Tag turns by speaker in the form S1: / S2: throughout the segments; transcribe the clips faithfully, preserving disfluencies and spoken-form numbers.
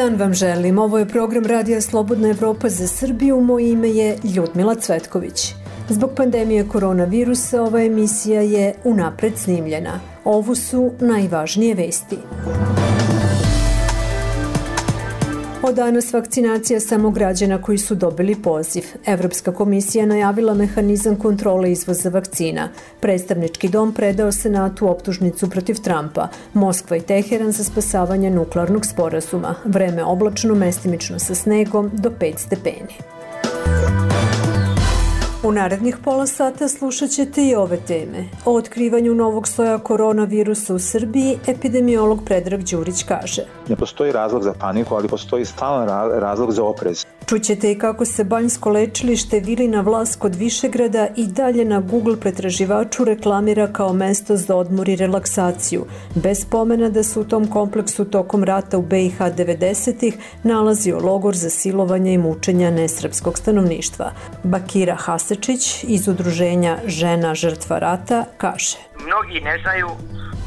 S1: dan vam želim. Ovo je program Radija Slobodna Evropa za Srbiju. Moje ime je Ljudmila Cvetković. Zbog pandemije koronavirusa ova emisija je unapred snimljena. Ovo su najvažnije vesti. Od danas vakcinacija samo građana koji su dobili poziv. Evropska komisija najavila mehanizam kontrole izvoza vakcina. Predstavnički dom predao Senatu optužnicu protiv Trumpa. Moskva i Teheran za spasavanje nuklearnog sporazuma. Vreme oblačno, mestimično sa snegom do pet stepeni. U narednih pola sata slušat ćete i ove teme. O otkrivanju novog soja koronavirusa u Srbiji epidemiolog Predrag Đurić kaže:
S2: Ne postoji razlog za paniku, ali postoji stalan razlog za oprez.
S1: Čućete i kako se banjsko lečilište Vilina Vlas kod Višegrada i dalje na Google pretraživaču reklamira kao mesto za odmor i relaksaciju, bez spomena da se u tom kompleksu tokom rata u be i ha devedesetih nalazio logor za silovanje i mučenja nesrpskog stanovništva. Bakira Hasečić iz udruženja Žena žrtva rata kaže:
S3: Mnogi ne znaju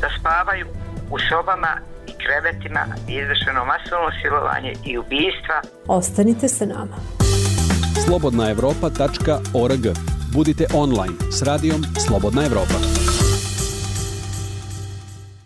S3: da spavaju u sobama i krevetima izvršeno masovno silovanje i ubistva.
S1: Ostanite sa nama.
S4: slobodna evropa tačka org. Budite online s radijom Slobodna Evropa.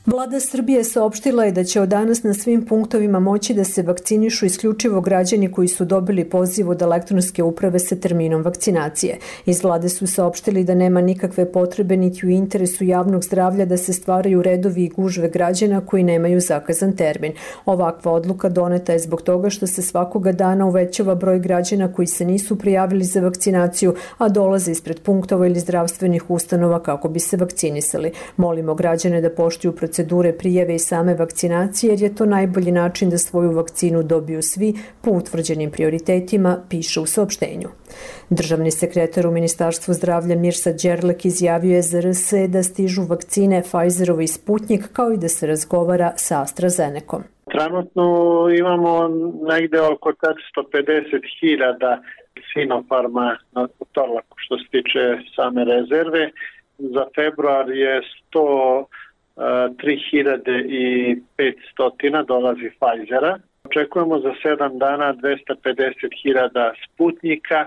S1: Vlada Srbije saopštila je da će od danas na svim punktovima moći da se vakcinišu isključivo građani koji su dobili poziv od elektronske uprave sa terminom vakcinacije. Iz vlade su saopštili da nema nikakve potrebe niti u interesu javnog zdravlja da se stvaraju redovi i gužve građana koji nemaju zakazan termin. Ovakva odluka doneta je zbog toga što se svakoga dana uvećava broj građana koji se nisu prijavili za vakcinaciju, a dolaze ispred punktova ili zdravstvenih ustanova kako bi se vakcinisali. Molimo građane da poštuju procedure procedure prijave i same vakcinacije, jer je to najbolji način da svoju vakcinu dobiju svi po utvrđenim prioritetima, piše u saopštenju. Državni sekretar u Ministarstvu zdravlja Mirsad Đerlek izjavio je za er es da stižu vakcine Pfizerova i Sputnik, kao i da se razgovara sa AstraZenecom.
S5: Trenutno imamo negde oko četiristo pedeset hiljada Sinopharma na Torlaku što se tiče same rezerve. Za februar je sto tri hiljade petsto dolazi Pfizera. Očekujemo za sedam dana dvesta pedeset hiljada Sputnika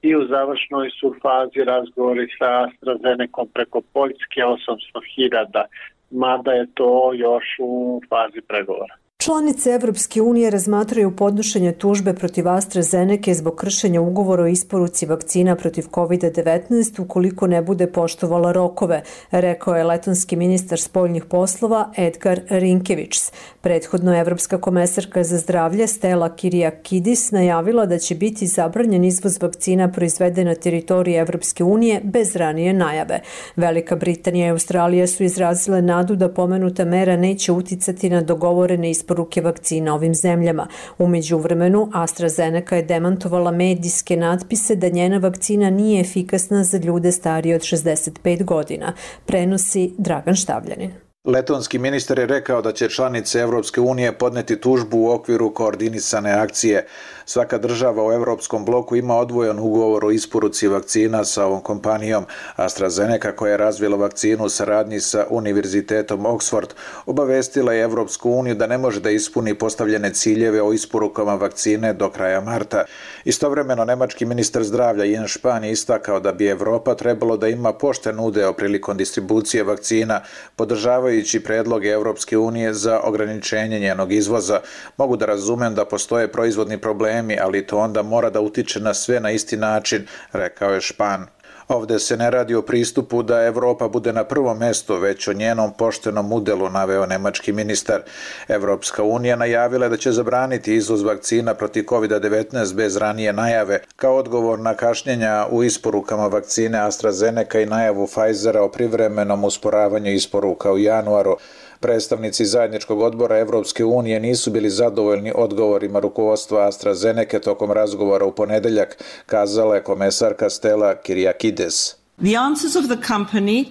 S5: i u završnoj su fazi razgovori sa AstraZenecom preko Poljske osamsto hiljada, mada je to još u fazi pregovora.
S1: Članice Evropske unije razmatraju podnošenje tužbe protiv AstraZenece zbog kršenja ugovora o isporuci vakcina protiv kovid devetnaest ukoliko ne bude poštovala rokove, rekao je letonski ministar spoljnih poslova Edgar Rinkevičs. Prethodno Evropska komesarka za zdravlje Stella Kyriakidis najavila da će biti zabranjen izvoz vakcina proizvede na teritoriji Evropske unije bez ranije najave. Velika Britanija i Australija su izrazile nadu da pomenuta mera neće uticati na dogovorene isporuke ruke vakcina ovim zemljama. U međuvremenu, AstraZeneca je demantovala medijske natpise da njena vakcina nije efikasna za ljude starije od šezdeset pet godina, prenosi Dragan Štavljanin.
S6: Letonski ministar je rekao da će članice Evropske unije podneti tužbu u okviru koordinisane akcije. Svaka država u Evropskom bloku ima odvojen ugovor o isporuci vakcina sa ovom kompanijom. AstraZeneca, koja je razvila vakcinu u saradnji sa Univerzitetom Oxford, obavestila je Evropsku uniju da ne može da ispuni postavljene ciljeve o isporukama vakcine do kraja marta. Istovremeno, nemački ministar zdravlja Jens Spahn je istakao da bi Evropa trebalo da ima pošten udeo prilikom distribucije vakcina, podržavaju predloge Evropske unije za ograničenje njenog izvoza. Mogu da razumem da postoje proizvodni problemi, ali to onda mora da utiče na sve na isti način, rekao je Spahn. Ovde se ne radi o pristupu da Evropa bude na prvom mestu, već o njenom poštenom udelu, naveo nemački ministar. Evropska unija najavila da će zabraniti izvoz vakcina protiv kovid devetnaest bez ranije najave, kao odgovor na kašnjenja u isporukama vakcine AstraZeneca i najavu Pfizera o privremenom usporavanju isporuka u januaru. Predstavnici zajedničkog odbora Evropske unije nisu bili zadovoljni odgovorima rukovodstva AstraZeneca tokom razgovora u ponedeljak, kazala je komesarka Stella Kyriakides.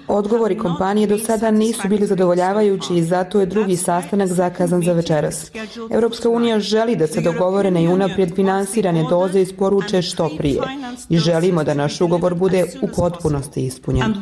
S7: Odgovori kompanije do sada nisu bili zadovoljavajući i zato je drugi sastanak zakazan za večeras. Evropska unija želi da se dogovorene i unaprijed finansirane doze isporuče što prije i želimo da naš ugovor bude u potpunosti ispunjen.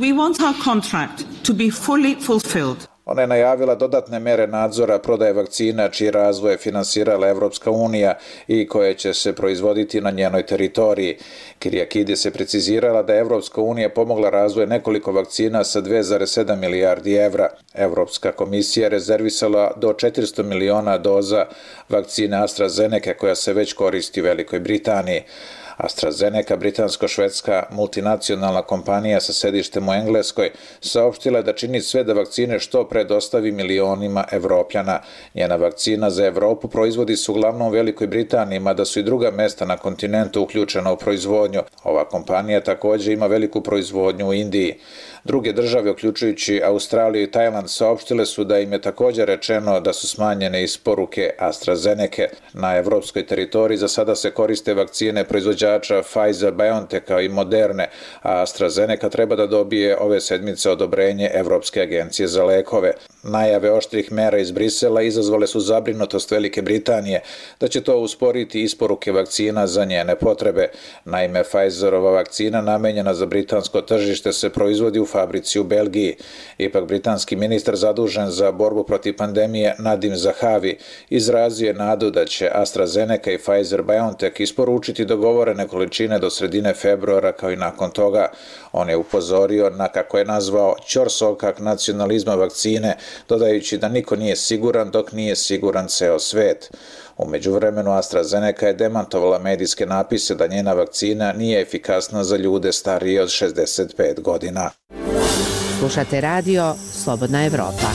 S6: Ona je najavila dodatne mere nadzora prodaje vakcina čiji razvoj je finansirala Evropska unija i koje će se proizvoditi na njenoj teritoriji. Kyriakidis je precizirala da je Evropska unija pomogla razvoj nekoliko vakcina sa dve zarez sedam milijardi evra. Evropska komisija je rezervisala do četiristo miliona doza vakcine AstraZeneca koja se već koristi u Velikoj Britaniji. AstraZeneca, britansko-švedska multinacionalna kompanija sa sedištem u Engleskoj, saopštila je da čini sve da vakcine što pre dostavi milionima Evropljana. Njena vakcina za Evropu proizvodi se uglavnom u Velikoj Britaniji, mada su i druga mesta na kontinentu uključena u proizvodnju. Ova kompanija također ima veliku proizvodnju u Indiji. Druge države, uključujući Australiju i Tajland, saopštile su da im je također rečeno da su smanjene isporuke AstraZeneca. Na evropskoj teritoriji za sada se koriste vakcine proizvođača Pfizer-BioNTecha i Moderne, a AstraZeneca treba da dobije ove sedmice odobrenje Evropske agencije za lekove. Najave oštrih mera iz Brisela izazvale su zabrinutost Velike Britanije da će to usporiti isporuke vakcina za njene potrebe. Naime, Pfizerova vakcina namenjena za britansko tržište se proizvodi u fabrici u Belgiji. Ipak britanski ministar zadužen za borbu protiv pandemije Nadim Zahavi izrazio je nadu da će AstraZeneca i Pfizer-BioNTech isporučiti dogovorene količine do sredine februara kao i nakon toga. On je upozorio na, kako je nazvao, ćorsokak nacionalizma vakcine, dodajući da niko nije siguran dok nije siguran ceo svet. U međuvremenu AstraZeneca je demantovala medijske napise da njena vakcina nije efikasna za ljude starije od šezdeset pet godina.
S8: Slušate radio Slobodna Evropa.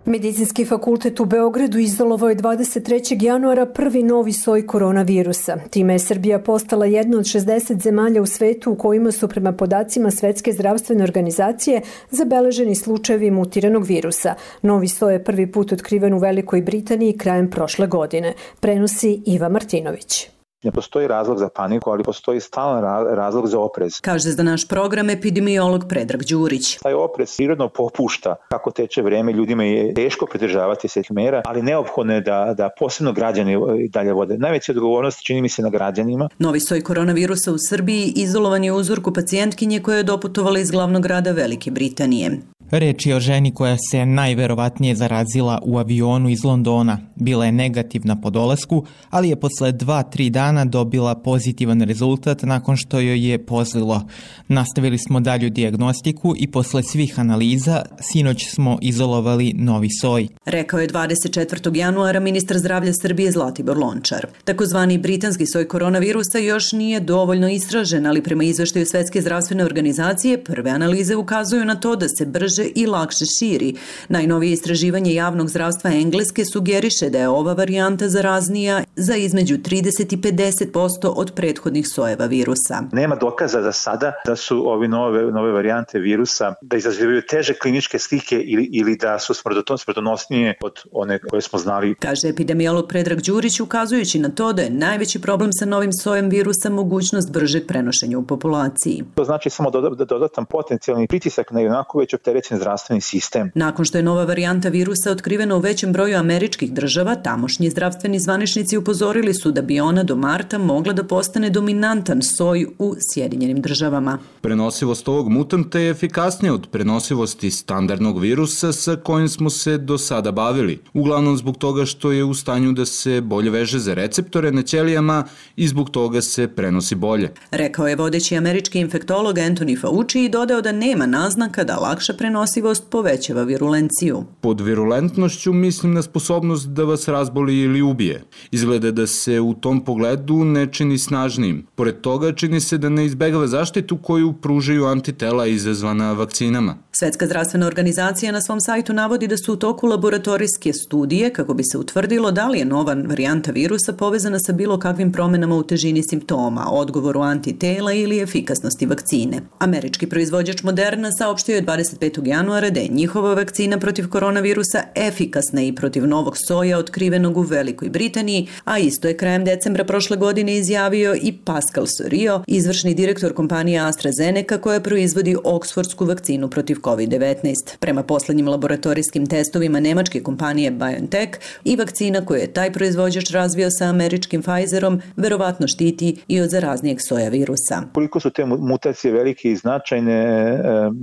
S1: Medicinski fakultet u Beogradu izolovao je dvadeset trećeg januara prvi novi soj koronavirusa. Time je Srbija postala jedna od šezdeset zemalja u svetu u kojima su prema podacima Svetske zdravstvene organizacije zabeleženi slučajevi mutiranog virusa. Novi soj je prvi put otkriven u Velikoj Britaniji krajem prošle godine. Prenosi Iva Martinović.
S2: Ne postoji razlog za paniku, ali postoji stalan razlog za oprez.
S9: Kaže za naš program epidemiolog Predrag Đurić.
S2: Taj oprez prirodno popušta kako teče vreme, ljudima je teško pridržavati se mera, ali neophodno je da, da posebno građani dalje vode. Najveća odgovornost čini mi se na građanima.
S9: Novi soj koronavirusa u Srbiji izolovan je u uzorku pacijentkinje koja je doputovala iz glavnog grada Velike Britanije.
S10: Reč je o ženi koja se najverovatnije zarazila u avionu iz Londona. Bila je negativna po dolasku, ali je posle dva do tri dana dobila pozitivan rezultat nakon što joj je pozlilo. Nastavili smo dalju dijagnostiku i posle svih analiza sinoć smo izolovali novi soj.
S9: Rekao je dvadeset četvrtog januara ministar zdravlja Srbije Zlatibor Lončar. Takozvani britanski soj koronavirusa još nije dovoljno istražen, ali prema izveštaju Svetske zdravstvene organizacije prve analize ukazuju na to da se brže i lakše širi. Najnovije istraživanje javnog zdravstva Engleske sugeriše da je ova varijanta zaraznija za između trideset i pedeset posto od prethodnih sojeva virusa.
S2: Nema dokaza da sada da su ovi nove, nove varijante virusa da izazivaju teže kliničke slike ili, ili da su smrtonosnije od one koje smo znali.
S9: Kaže epidemiolog Predrag Đurić, ukazujući na to da je najveći problem sa novim sojem virusa mogućnost bržeg prenošenja u populaciji.
S2: To znači samo dodatan potencijalni pritisak na onako već opterećen zdravstveni sistem.
S9: Nakon što je nova varijanta virusa otkrivena u većem broju američkih država, tamošnji zdravstveni zvaničnici upozorili su da bi ona do marta mogla da postane dominantan soj u Sjedinjenim državama.
S11: Prenosivost ovog mutanta je efikasnija od prenosivosti standardnog virusa sa kojim smo se do sada bavili, uglavnom zbog toga što je u stanju da se bolje veže za receptore na ćelijama i zbog toga se prenosi bolje.
S9: Rekao je vodeći američki infektolog Anthony Fauci i dodao da nema naznaka da lakša prenosivost povećava virulenciju.
S11: Pod virulentnošću mislim na sposobnost da vas razboli ili ubije. Izgleda da se u tom pogledu ne čini snažnijim. Pored toga čini se da ne izbegava zaštitu koju pružaju antitela izazvana vakcinama.
S9: Svetska zdravstvena organizacija na svom sajtu navodi da su u toku laboratorijske studije kako bi se utvrdilo da li je nova varijanta virusa povezana sa bilo kakvim promenama u težini simptoma, odgovoru antitela ili efikasnosti vakcine. Američki proizvođač Moderna saopštio je dvadeset petog januara da je njihova vakcina protiv koronavirusa efikasna i protiv novog soja otkrivenog u Velikoj Britaniji, a isto je krajem decembra prošle godine izjavio i Pascal Soriot, izvršni direktor kompanije AstraZeneca koja proizvodi oksfordsku vakcinu protiv kovid devetnaest. Prema poslednjim laboratorijskim testovima nemačke kompanije BioNTech i vakcina koju je taj proizvođač razvio sa američkim Pfizerom verovatno štiti i od zaraznijeg soja virusa.
S2: Koliko su te mutacije velike i značajne,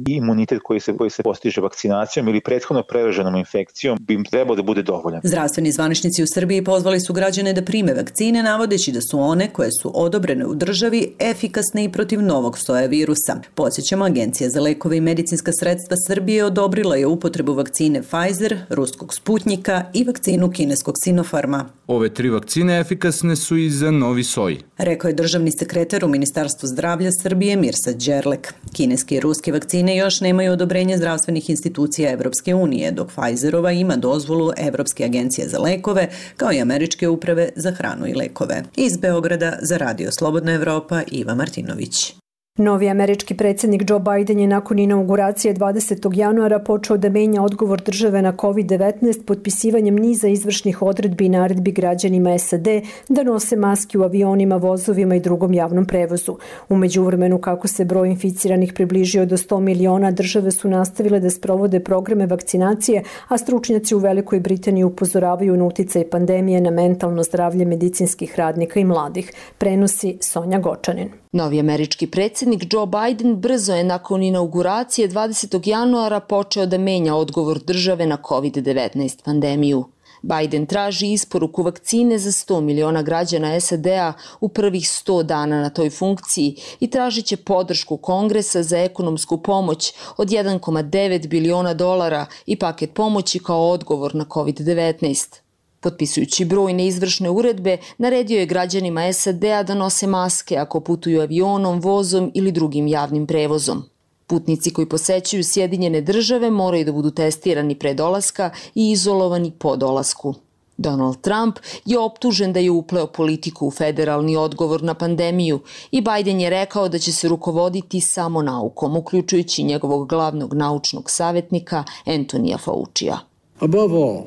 S2: imunitet koji se, koji se postiže vakcinacijom ili prethodno preraženom infekcijom bi im trebao da bude dovoljan.
S9: Zdravstveni zvaničnici u Srbiji pozvali su građane da prime vakcine, navodeći da su one koje su odobrene u državi efikasne i protiv novog soja virusa. Podsjećamo, Agencija za lekove i medicinska sredstva Srbije odobrila je upotrebu vakcine Pfizer, ruskog Sputnjika i vakcinu kineskog Sinopharma.
S11: Ove tri vakcine efikasne su i za novi soj,
S9: rekao je državni sekretar u Ministarstvu zdravlja Srbije Mirsad Đerlek. Kineske i ruske vakcine još nemaju odobrenje zdravstvenih institucija Evropske unije, dok Pfizerova ima dozvolu Evropske agencije za lekove, kao i Američke uprave za hranu i lekove. Iz Beograda za Radio Slobodna Evropa, Iva Martinović.
S1: Novi američki predsjednik Joe Biden je nakon inauguracije dvadesetog januara počeo da menja odgovor države na kovid devetnaest potpisivanjem niza izvršnih odredbi i naredbi građanima S A D da nose maske u avionima, vozovima i drugom javnom prevozu. U međuvremenu, kako se broj inficiranih približio do sto miliona, države su nastavile da sprovode programe vakcinacije, a stručnjaci u Velikoj Britaniji upozoravaju na uticaj pandemije na mentalno zdravlje medicinskih radnika i mladih. Prenosi Sonja Gočanin.
S12: Novi američki predsjednik Joe Biden brzo je nakon inauguracije dvadesetog januara počeo da menja odgovor države na kovid devetnaest pandemiju. Biden traži isporuku vakcine za sto miliona građana S A D-a u prvih sto dana na toj funkciji i tražit će podršku Kongresa za ekonomsku pomoć od jedan zarez devet biliona dolara i paket pomoći kao odgovor na kovid devetnaest. Potpisujući brojne izvršne uredbe, naredio je građanima S A D-a da nose maske ako putuju avionom, vozom ili drugim javnim prevozom. Putnici koji posećuju Sjedinjene države moraju da budu testirani pre dolaska i izolovani po dolasku. Donald Trump je optužen da je upleo politiku u federalni odgovor na pandemiju i Biden je rekao da će se rukovoditi samo naukom, uključujući njegovog glavnog naučnog savjetnika Antonija Faucija.
S13: Above all,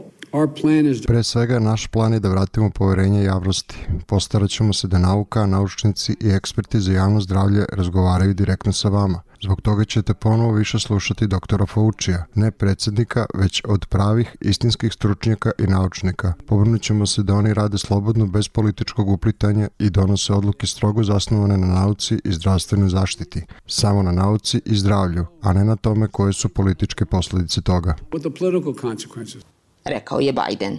S14: Pre svega, naš plan je da vratimo poverenje javnosti. Postarat ćemo se da nauka, naučnici i eksperti za javno zdravlje razgovaraju direktno sa vama. Zbog toga ćete ponovo više slušati doktora Faucija, ne predsjednika, već od pravih, istinskih stručnjaka i naučnika. Povrnut ćemo se da oni rade slobodno, bez političkog uplitanja i donose odluke strogo zasnovane na nauci i zdravstvenoj zaštiti. Samo na nauci i zdravlju, a ne na tome koje su političke posljedice toga.
S12: Rekao je Biden.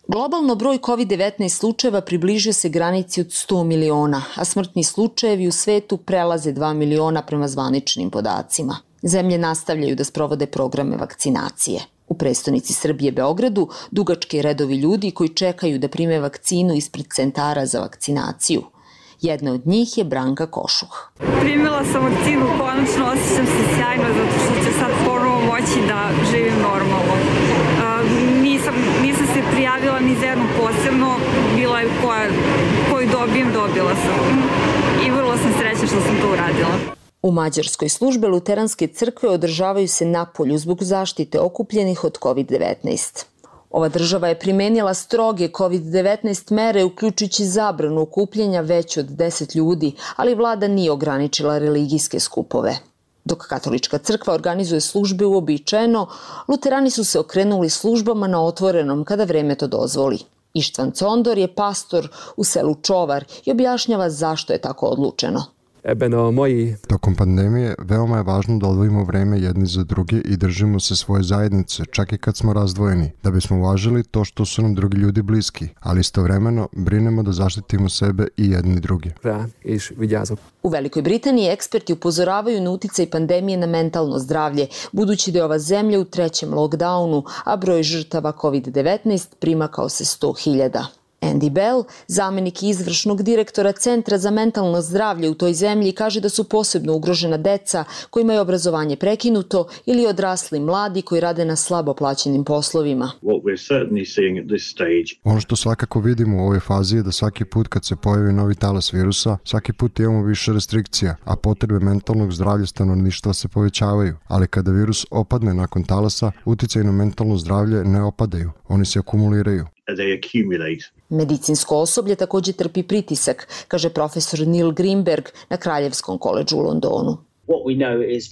S12: Globalno broj kovid devetnaest slučajeva približio se granici od sto miliona, a smrtni slučajevi u svetu prelaze dva miliona prema zvaničnim podacima. Zemlje nastavljaju da sprovode programe vakcinacije. U prestonici Srbije Beogradu dugački redovi ljudi koji čekaju da prime vakcinu ispred centara za vakcinaciju. Jedna od njih je Branka Košuh.
S15: Primila sam vakcinu, konačno osjećam se sjajno zato što će sad ponovo moći da živim normalno. Nisam, nisam se prijavila ni za jednu posebno, bila je koja, koju dobijem, dobila sam. I vrlo sam srećna što sam to uradila.
S12: U Mađarskoj službe luteranske crkve održavaju se napolju zbog zaštite okupljenih od kovid devetnaest. Ova država je primenila stroge kovid devetnaest mere, uključujući zabranu okupljanja veće od deset ljudi, ali vlada nije ograničila religijske skupove. Dok katolička crkva organizuje službe uobičajeno, luterani su se okrenuli službama na otvorenom kada vreme to dozvoli. Ištvan Condor je pastor u selu Čovar i objašnjava zašto je tako odlučeno.
S14: Tokom pandemije veoma je važno da odvojimo vreme jedni za druge i držimo se svoje zajednice, čak i kad smo razdvojeni, da bismo uvažili to što su nam drugi ljudi bliski, ali istovremeno brinemo da zaštitimo sebe i jedni druge.
S12: U Velikoj Britaniji eksperti upozoravaju na uticaj pandemije na mentalno zdravlje, budući da je ova zemlja u trećem lockdownu, a broj žrtava kovid devetnaest primakao se sto hiljada. Andy Bell, zamenik izvršnog direktora Centra za mentalno zdravlje u toj zemlji, kaže da su posebno ugrožena deca kojima je obrazovanje prekinuto ili odrasli mladi koji rade na slabo plaćenim poslovima.
S14: Ono što svakako vidimo u ovoj fazi je da svaki put kad se pojavi novi talas virusa, svaki put imamo više restrikcija, a potrebe mentalnog zdravlja stanovništva se povećavaju. Ali kada virus opadne nakon talasa, uticaj na mentalno zdravlje ne opadaju, oni se akumuliraju.
S12: Medicinsko osoblje takođe trpi pritisak, kaže profesor Neil Greenberg na Kraljevskom koledžu u Londonu.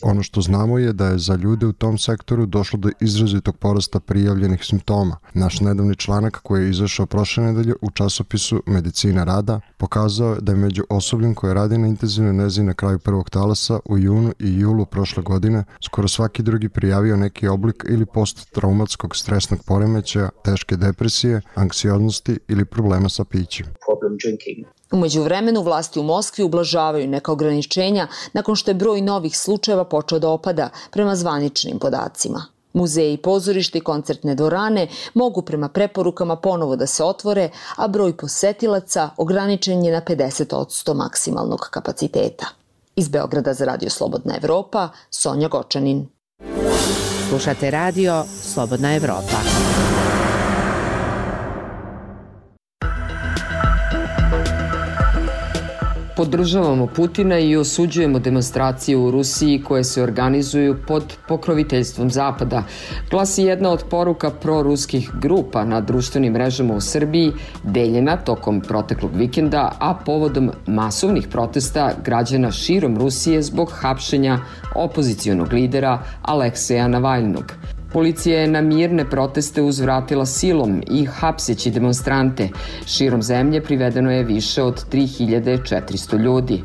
S14: Ono što znamo je da je za ljude u tom sektoru došlo do izrazitog porasta prijavljenih simptoma. Naš nedavni članak koji je izašao prošle nedelje u časopisu Medicina rada pokazao da je među osobljem koje radi na intenzivnoj nezi na kraju prvog talasa u junu i julu prošle godine skoro svaki drugi prijavio neki oblik ili posttraumatskog stresnog poremećaja, teške depresije, anksioznosti ili problema sa pićem.
S12: Umeđu vremenu vlasti u Moskvi ublažavaju neka ograničenja nakon što je broj novih slučajeva počeo da opada prema zvaničnim podacima. Muzeji, pozorište i koncertne dvorane mogu prema preporukama ponovo da se otvore, a broj posetilaca ograničen je na pedeset posto maksimalnog kapaciteta. Iz Beograda za Radio Slobodna Evropa, Sonja Gočanin.
S8: Slušate radio Slobodna Evropa.
S13: Podržavamo Putina i osuđujemo demonstracije u Rusiji koje se organizuju pod pokroviteljstvom Zapada, glasi jedna od poruka proruskih grupa na društvenim mrežama u Srbiji, deljena tokom proteklog vikenda, a povodom masovnih protesta građana širom Rusije zbog hapšenja opozicionog lidera Alekseja Navalnog. Policija je na mirne proteste uzvratila silom i hapseći demonstrante. Širom zemlje privedeno je više od tri hiljade četiristo ljudi.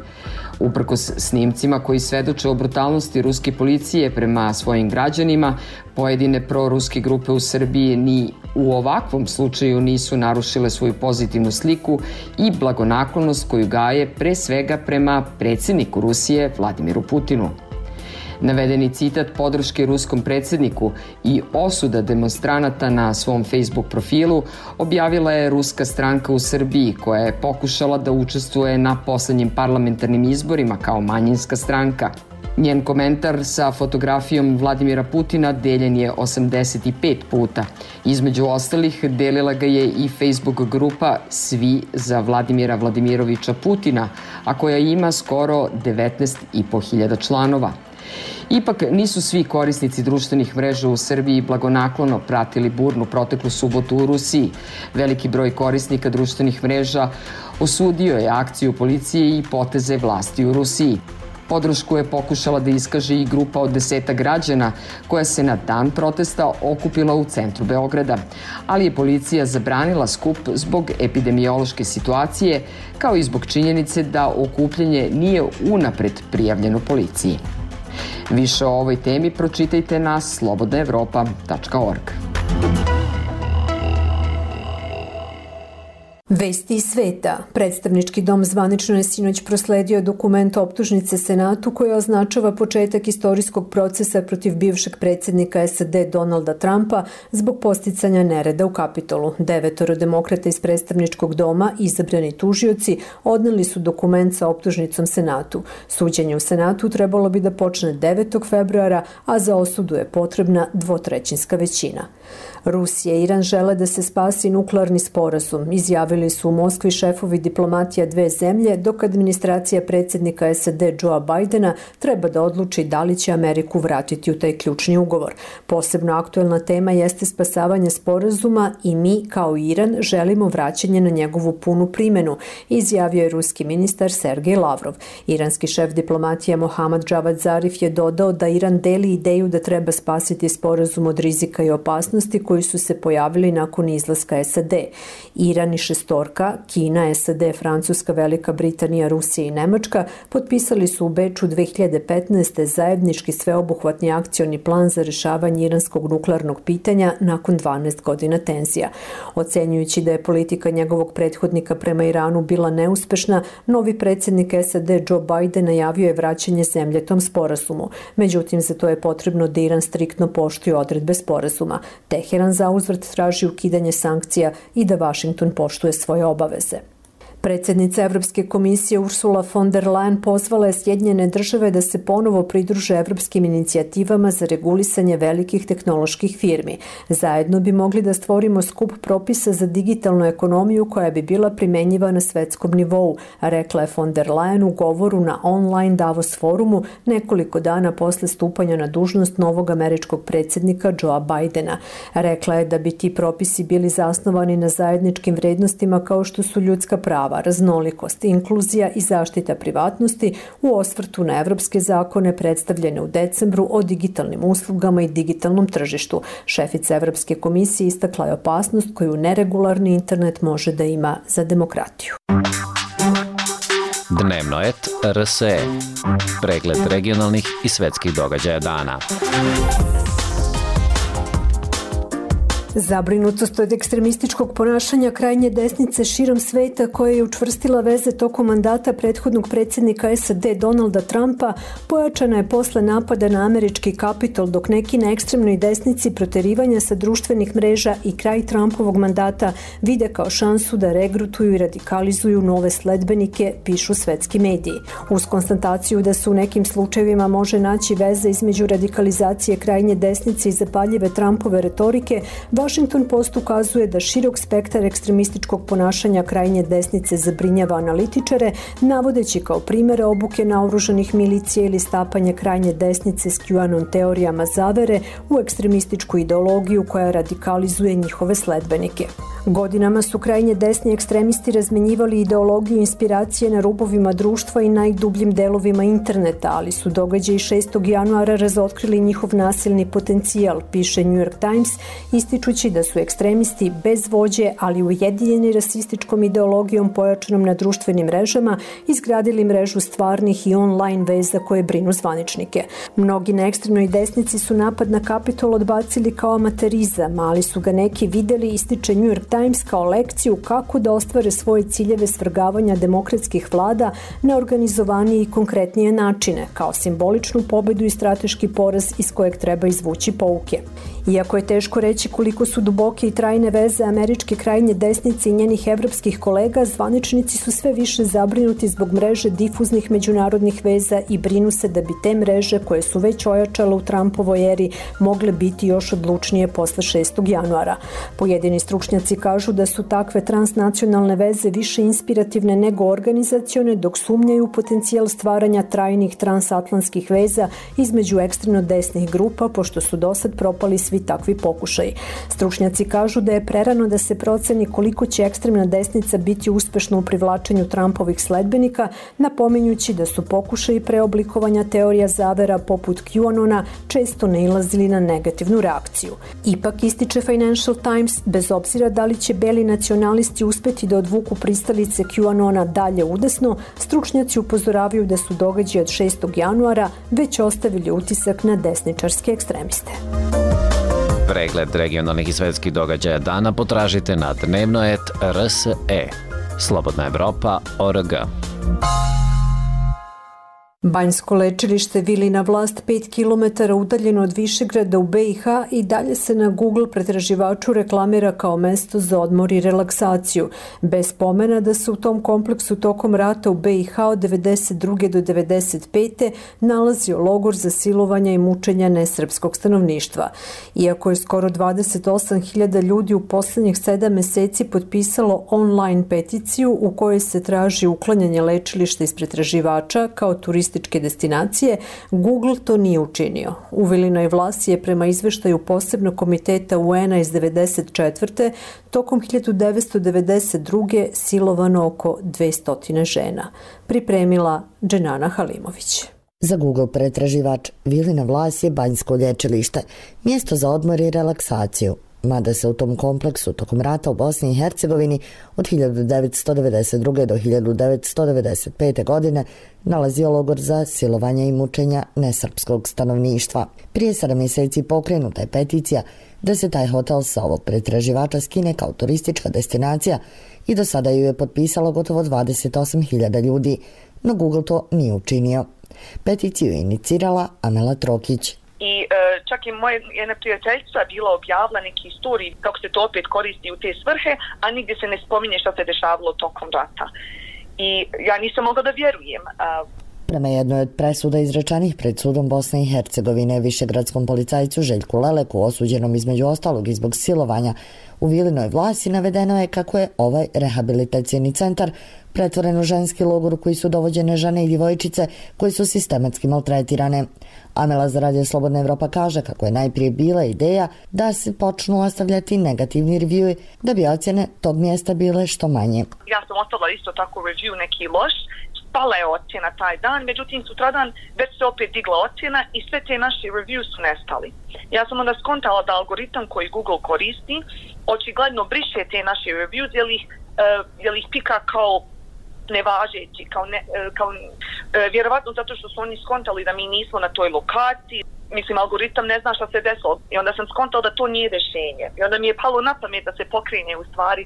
S13: Uprkos snimcima koji svedoče o brutalnosti ruske policije prema svojim građanima, pojedine proruske grupe u Srbiji ni u ovakvom slučaju nisu narušile svoju pozitivnu sliku i blagonaklonost koju gaje pre svega prema predsjedniku Rusije Vladimiru Putinu. Navedeni citat podrške ruskom predsjedniku i osuda demonstranata na svom Facebook profilu objavila je ruska stranka u Srbiji koja je pokušala da učestvuje na poslednjim parlamentarnim izborima kao manjinska stranka. Njen komentar sa fotografijom Vladimira Putina deljen je osamdeset pet puta. Između ostalih delila ga je i Facebook grupa Svi za Vladimira Vladimirovića Putina, a koja ima skoro devetnaest i po hiljada članova. Ipak nisu svi korisnici društvenih mreža u Srbiji blagonaklono pratili burnu proteklu subotu u Rusiji. Veliki broj korisnika društvenih mreža osudio je akciju policije i poteze vlasti u Rusiji. Podršku je pokušala da iskaže i grupa od deseta građana koja se na dan protesta okupila u centru Beograda, ali je policija zabranila skup zbog epidemiološke situacije, kao i zbog činjenice da okupljanje nije unapred prijavljeno policiji. Više o ovoj temi pročitajte na slobodna evropa tačka org.
S1: Vesti iz sveta. Predstavnički dom zvanično je sinoć prosledio dokument optužnice Senatu koja označava početak istorijskog procesa protiv bivšeg predsjednika S A D Donalda Trumpa zbog posticanja nereda u Kapitolu. Devetoro demokrata iz predstavničkog doma, izabrani tužioci, odneli su dokument sa optužnicom Senatu. Suđenje u Senatu trebalo bi da počne devetog februara, a za osudu je potrebna dvotrećinska većina. Rusija i Iran žele da se spasi nuklearni sporazum, izjavili su u Moskvi šefovi diplomatija dve zemlje, dok administracija predsjednika S A D Joea Bidena treba da odluči da li će Ameriku vratiti u taj ključni ugovor. Posebno aktuelna tema jeste spasavanje sporazuma i mi, kao Iran, želimo vraćanje na njegovu punu primenu, izjavio je ruski ministar Sergej Lavrov. Iranski šef diplomatija Mohammad Javad Zarif je dodao da Iran deli ideju da treba spasiti sporazum od rizika i opasnosti koji su se pojavili nakon izlaska S A D. Iran i šestorka, Kina, S A D, Francuska, Velika Britanija, Rusija i Nemačka potpisali su u Beču dve hiljade petnaeste. zajednički sveobuhvatni akcioni plan za rešavanje iranskog nuklearnog pitanja nakon dvanaest godina tenzija. Ocenjujući da je politika njegovog prethodnika prema Iranu bila neuspešna, novi predsjednik S A D Joe Biden najavio je vraćanje zemlje tom sporazumu. Međutim, za to je potrebno da Iran striktno poštuje odredbe sporazuma. Teheran Teheran zauzvrat traži ukidanje sankcija i da Vašington poštuje svoje obaveze. Predsjednica Evropske komisije Ursula von der Leyen pozvala je Sjedinjene države da se ponovo pridruže evropskim inicijativama za regulisanje velikih tehnoloških firmi. Zajedno bi mogli da stvorimo skup propisa za digitalnu ekonomiju koja bi bila primenjiva na svetskom nivou, rekla je von der Leyen u govoru na online Davos forumu nekoliko dana posle stupanja na dužnost novog američkog predsjednika Joea Bidena. Rekla je da bi ti propisi bili zasnovani na zajedničkim vrednostima kao što su ljudska prava, raznolikost, inkluzija i zaštita privatnosti u osvrtu na evropske zakone predstavljene u decembru o digitalnim uslugama i digitalnom tržištu. Šefica Evropske komisije istakla je opasnost koju neregularni internet može da ima za demokratiju.
S16: Dnevno et R S E. Pregled regionalnih i svetskih događaja dana.
S1: Zabrinutost od ekstremističkog ponašanja krajnje desnice širom sveta koja je učvrstila veze tokom mandata prethodnog predsjednika S A D Donalda Trumpa pojačana je posle napada na američki Kapitol, dok neki na ekstremnoj desnici proterivanja sa društvenih mreža i kraj Trumpovog mandata vide kao šansu da regrutuju i radikalizuju nove sledbenike, pišu svetski mediji. Uz konstataciju da se u nekim slučajevima može naći veza između radikalizacije krajnje desnice i zapaljive Trumpove retorike, Washington Post ukazuje da širok spektar ekstremističkog ponašanja krajnje desnice zabrinjava analitičare, navodeći kao primere obuke naoružanih milicija ili stapanje krajnje desnice s QAnon teorijama zavere u ekstremističku ideologiju koja radikalizuje njihove sledbenike. Godinama su krajnje desni ekstremisti razmenjivali ideologiju inspiracije na rubovima društva i najdubljim delovima interneta, ali su događaji šestog januara razotkrili njihov nasilni potencijal, piše New York Times, ističući da su ekstremisti bez vođe, ali ujedinjeni rasističkom ideologijom pojačanom na društvenim mrežama, izgradili mrežu stvarnih i online veza koje brinu zvaničnike. Mnogi na ekstremnoj desnici su napad na Kapitol odbacili kao amaterizam, ali su ga neki videli, ističe New York Times, kao lekciju kako da ostvare svoje ciljeve svrgavanja demokratskih vlada na organizovanije i konkretnije načine, kao simboličnu pobedu i strateški poraz iz kojeg treba izvući pouke. Iako je teško reći koliko su duboke i trajne veze američke krajnje desnice i njenih evropskih kolega, zvaničnici su sve više zabrinuti zbog mreže difuznih međunarodnih veza i brinu se da bi te mreže, koje su već ojačale u Trumpovoj eri, mogle biti još odlučnije posle šestog januara. Pojedini stručnjaci kažu da su takve transnacionalne veze više inspirativne nego organizacione, dok sumnjaju u potencijal stvaranja trajnih transatlantskih veza između ekstremno desnih grupa, pošto su dosad propali svi takvi pokušaji. Stručnjaci kažu da je prerano da se proceni koliko će ekstremna desnica biti uspešna u privlačenju Trumpovih sledbenika, napominjući da su pokušaji preoblikovanja teorija zavera poput QAnona često nailazili na negativnu reakciju. Ipak, ističe Financial Times, bez obzira da li će beli nacionalisti uspeti da odvuku pristalice QAnona dalje udesno, stručnjaci upozoravaju da su događaji od šestog januara već ostavili utisak na desničarske ekstremiste.
S16: Pregled regionalnih i svetskih događaja dana potražite na dnevno et R S E. Slobodna Evropa O R G.
S1: Banjsko lečilište Vilina Vlast, pet kilometara udaljeno od Višegrada u B i H, i dalje se na Google pretraživaču reklamira kao mesto za odmor i relaksaciju, bez pomena da se u tom kompleksu tokom rata u B i H od devedeset druge do devedeset pete nalazio logor za silovanja i mučenja nesrpskog stanovništva. Iako je skoro dvadeset osam hiljada ljudi u poslednjih sedam meseci potpisalo online peticiju u kojoj se traži uklanjanje lečilišta iz pretraživača kao turističke destinacije, Google to nije učinio. U Vilinoj Vlasi je prema izveštaju posebnog komiteta U N-a iz devedeset četvrte tokom hiljadu devetsto devedeset druge silovano oko dvesta žena. Pripremila Dženana Halimović.
S17: Za Google pretraživač Vilina Vlas je banjsko lječilište, mjesto za odmor i relaksaciju. Mada se u tom kompleksu tokom rata u Bosni i Hercegovini od hiljadu devetsto devedeset druge do hiljadu devetsto devedeset pete godine nalazio logor za silovanja i mučenja nesrpskog stanovništva. Prije sedam mjeseci pokrenuta je peticija da se taj hotel sa ovog pretraživača skine kao turistička destinacija i do sada ju je potpisalo gotovo dvadeset osam hiljada ljudi, no Google to nije učinio. Peticiju je inicirala Amela Trokić.
S18: I e, čak i moja jedna prijateljica bila objavila neki storij kako se to opet koristi u te svrhe, a nigdje se ne spominje što se dešavalo tokom rata. I ja nisam mogla da vjerujem. A,
S17: Prema jednoj od presuda izrečenih pred sudom Bosne i Hercegovine višegradskom policajcu Željku Leleku, osuđenom između ostalog i zbog silovanja u Vilinoj Vlasi, navedeno je kako je ovaj rehabilitacijni centar pretvoren u ženski logor u koji su dovođene žene i djevojčice koje su sistematski maltretirane. Amela za Radio Slobodna Evropa kaže kako je najprije bila ideja da se počnu ostavljati negativni review da bi ocjene tog mjesta bile što manje.
S18: Ja sam ostavila isto tako review neki loš, pala je ocjena taj dan, međutim sutradan već se opet digla ocjena i sve te naše reviews su nestali. Ja sam onda skontala da algoritam koji Google koristi očigledno briše te naše reviews jer ih, uh, jer ih pika kao nevažeći, kao, ne, kao uh, vjerovatno zato što su oni skontali da mi nismo na toj lokaciji. Mislim, algoritam ne zna šta se desilo i onda sam skontala da to nije rješenje. I onda mi je palo na pamet da se pokrene u stvari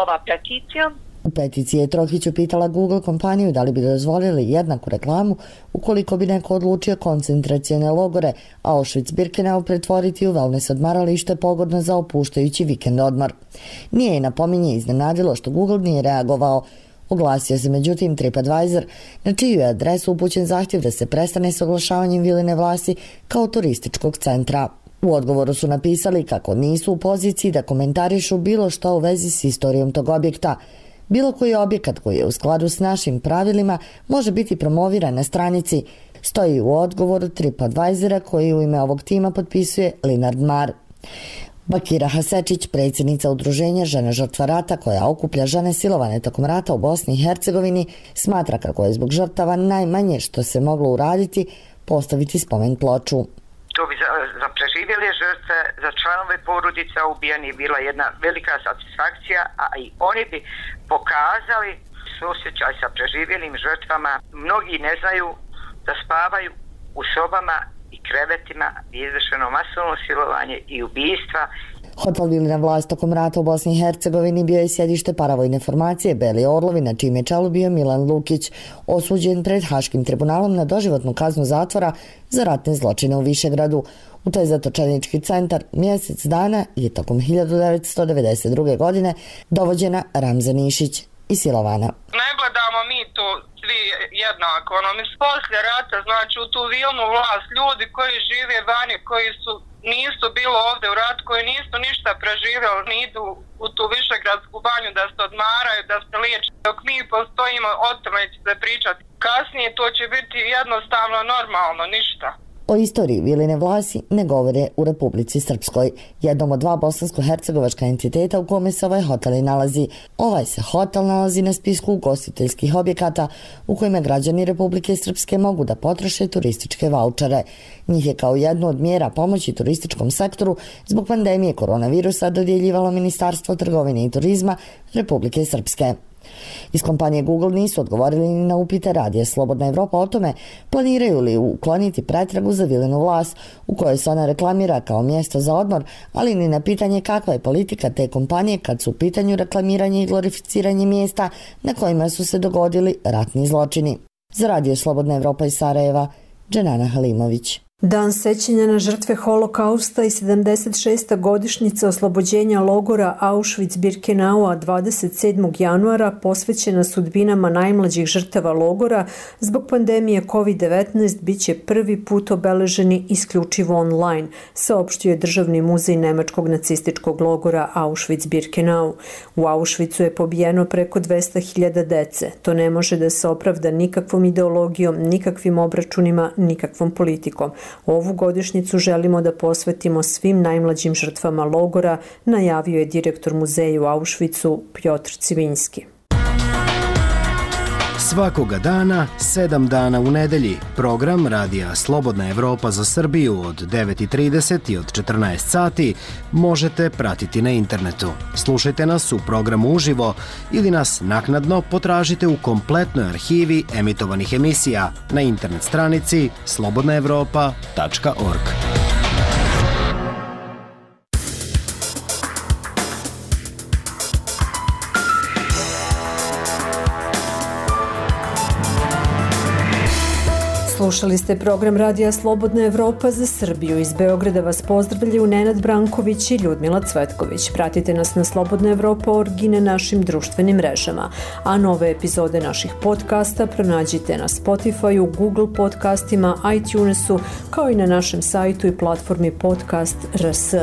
S18: ova peticija.
S17: U peticiji je Trohić upitala Google kompaniju da li bi dozvolili jednaku reklamu ukoliko bi neko odlučio koncentracione logore Auschwitz-Birkenau pretvoriti u wellness odmaralište pogodno za opuštajući vikend odmor. Nije je napominje iznenadilo što Google nije reagovao. Oglasio se međutim TripAdvisor, na čiju je adresu upućen zahtjev da se prestane s oglašavanjem Viline Vlasi kao turističkog centra. U odgovoru su napisali kako nisu u poziciji da komentarišu bilo što u vezi s istorijom tog objekta. Bilo koji objekat koji je u skladu s našim pravilima može biti promoviran na stranici, stoji u odgovoru TripAdvisora koji u ime ovog tima potpisuje Linard Mar. Bakira Hasečić, predsjednica udruženja Žene žrtva rata koja okuplja žene silovane tokom rata u Bosni i Hercegovini, smatra kako je zbog žrtava najmanje što se moglo uraditi postaviti spomen ploču.
S3: To bi za, za preživjele žrtve, za članove porodica ubijenih bila jedna velika satisfakcija, a i oni bi pokazali suosjećaj sa preživjelim žrtvama. Mnogi ne znaju da spavaju u sobama i krevetima i izvršeno masovno silovanje i ubijstva.
S17: Hotel Vilina Vlast tokom rata u Bosni i Hercegovini bio je sjedište paravojne formacije Beli Orlovi, na čime je čelu bio Milan Lukić, osuđen pred Haškim tribunalom na doživotnu kaznu zatvora za ratne zločine u Višegradu. U taj zatočenički centar mjesec dana je tokom hiljadu devetsto devedeset druge. godine dovođena Ramza Nišić i silovana.
S19: Ne gledamo mi to svi jednako. Ono, mi poslije rata, znači u tu Vilnu Vlast, ljudi koji žive vani, koji su nisu bilo ovdje u ratu, koji nisu ništa preživjeli, ni idu u tu Višegradsku banju da se odmaraju, da se liječe. Dok mi postojimo, o tome će se pričati. Kasnije to će biti jednostavno normalno, ništa.
S17: O istoriji Viline Vlasi ne govore u Republici Srpskoj, jednom od dva bosansko-hercegovačka entiteta u kome se ovaj hotel i nalazi. Ovaj se hotel nalazi na spisku ugostiteljskih objekata u kojima građani Republike Srpske mogu da potroše turističke vaučere. Njih je kao jednu od mjera pomoći turističkom sektoru zbog pandemije koronavirusa dodjeljivalo Ministarstvo trgovine i turizma Republike Srpske. Iz kompanije Google nisu odgovorili ni na upite Radija Slobodna Evropa o tome planiraju li ukloniti pretragu za Vilinu Vlas u kojoj se ona reklamira kao mjesto za odmor, ali ni na pitanje kakva je politika te kompanije kad su u pitanju reklamiranje i glorificiranje mjesta na kojima su se dogodili ratni zločini. Za Radio Slobodna Evropa iz Sarajeva, Dženana Halimović.
S1: Dan sećanja na žrtve holokausta i sedamdeset šesta godišnjica oslobođenja logora Auschwitz-Birkenaua dvadeset sedmog januara posvećena sudbinama najmlađih žrtava logora zbog pandemije kovid devetnaest biće prvi put obeleženi isključivo online, saopštio je Državni muzej nemačkog nacističkog logora Auschwitz-Birkenau. U Auschwitzu je pobijeno preko dvesta hiljada dece. To ne može da se opravda nikakvom ideologijom, nikakvim obračunima, nikakvom politikom. Ovu godišnjicu želimo da posvetimo svim najmlađim žrtvama logora, najavio je direktor muzeja u Auschwitzu Pjotr Civinski.
S20: Svakoga dana, sedam dana u nedelji, program Radija Slobodna Evropa za Srbiju od devet i trideset i od četrnaest sati možete pratiti na internetu. Slušajte nas u programu uživo ili nas naknadno potražite u kompletnoj arhivi emitovanih emisija na internet stranici slobodna evropa tačka org.
S1: Slušali ste program Radija Slobodna Evropa za Srbiju. Iz Beograda vas pozdravljaju Nenad Branković i Ljudmila Cvetković. Pratite nas na Slobodna Evropa punkt org i na našim društvenim mrežama. A nove epizode naših podcasta pronađite na Spotify-u, Google podcastima, iTunesu, kao i na našem sajtu i platformi Podcast R S.